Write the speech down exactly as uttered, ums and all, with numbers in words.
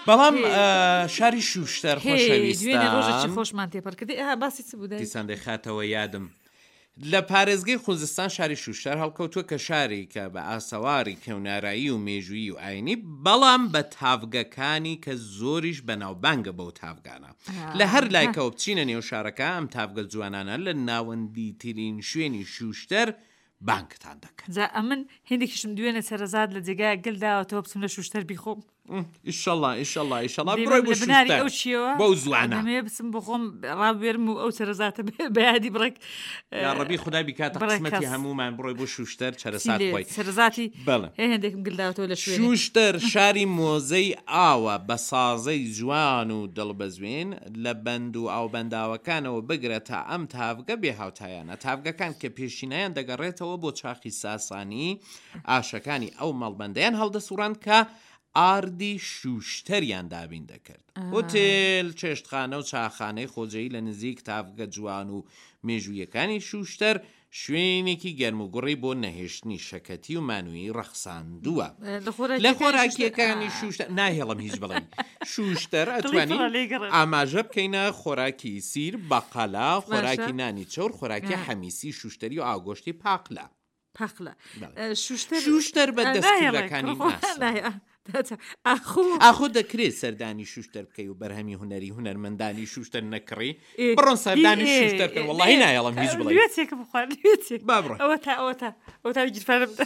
بەڵام شاری شوشتەر خۆشەویستە، ڕۆژێکی خۆشمان تێپەڕ کردی. ئەها باسی چ بوو دای؟ دیسان دەیخاتەوە یادم. لە پارێزگەی خوزستان شاری شوشتەر هەڵکەوتووە کە شارێکە بە ئاسەواری کەونارایی و مێژوویی و ئاینی، بەڵام بە تاڤگەکانی کە زۆریش بەناوبانگە بەو تاڤگانە. لە هەر لایکەوە بچینە نێو شارەکە ئەم تاڤگە جوانانە لە ناوەندیترین شوێنی شوشتەر بانگتان دەکەن. جا ئەمن هێندێکیشم دوێنێ چەرەزات لە جێگایەک گل داوەتەوە بچم لە شوشتەر بیخۆم. ئیشەڵا ئیشەڵا ئیشەڵا دەیبەم بڕۆی بۆ لە بناری شوشتەر ئەو چیەوە بەو زوانە. دەمەوێ بچم بۆ خۆم ڕابوێرم و ئەو چەرەزاتە بە یادی بڕێک یا ڕەبی خودای بیکاتە بڕێک قسمەتی کەس. هەموومان بڕۆی بۆ شوشتەر چەرەسات چی لێ خۆی. چەرەزاتی بەڵێ. هێ هێندێکم گل داوەتەوە لە شوێنێ. شوشتەر شاری مۆزەی ئاوە بە سازەی جوان و دڵبەزوێن لە بەند و ئاوبەنداوەکانەوە بگرە تا ئەم تاڤگە بێهاوتایانە. تاڤگەکان کە پێشینایان دەگەڕێتەوە بۆ چاخی ساسانی، ئاشەکانی ئەو مەڵبەندەیان هەڵدەسوڕاند کە ئاردی شوشتەریان دابین دەکرد. هۆتێل، چێشتخانە و چاخانەی خۆجێی لە نزیک تاڤگە جوان و مێژوویەکانی شوشتەر شوێنێکی گەرم و گوڕی بۆ نەهێشتنی شەکەتی و مانوویی ڕەخساندووە. لە لە خۆراکیەکانی خۆراکیەکانی شوشتەر ناهێڵم هیچ بڵێ. شوشتەر دڵی ئەتوانین پڕە لێی گەڕێ. ئاماژە بکەینە خۆراکی سیر، بەقەلا، خۆراکی باشە. نانی چەور، خۆراکی حەمیسی شوشتەری و ئاگۆشتی پاقلە. پاقلە. بەڵێ. شوشتەر شوشتەر بە ناهێڵێ دەستکردەکانی کوڕ ناسراوە. ناهێ. ئاخۆ ئاخۆ دەکرێت سەردانی شوشتەر بکەی و بەرهەمی هونەری هونەرمەندانی شوشتەر نەکڕی؟ بڕۆن سەردانی شوشتەر بکەن، وەڵڵاهی نایەڵم هیچ بڵێ. لوێتێکم بخوارد، لوێتێک. با بڕۆ. ئەوە تا ئەوە تا ئەوە تا گیرفانم دا.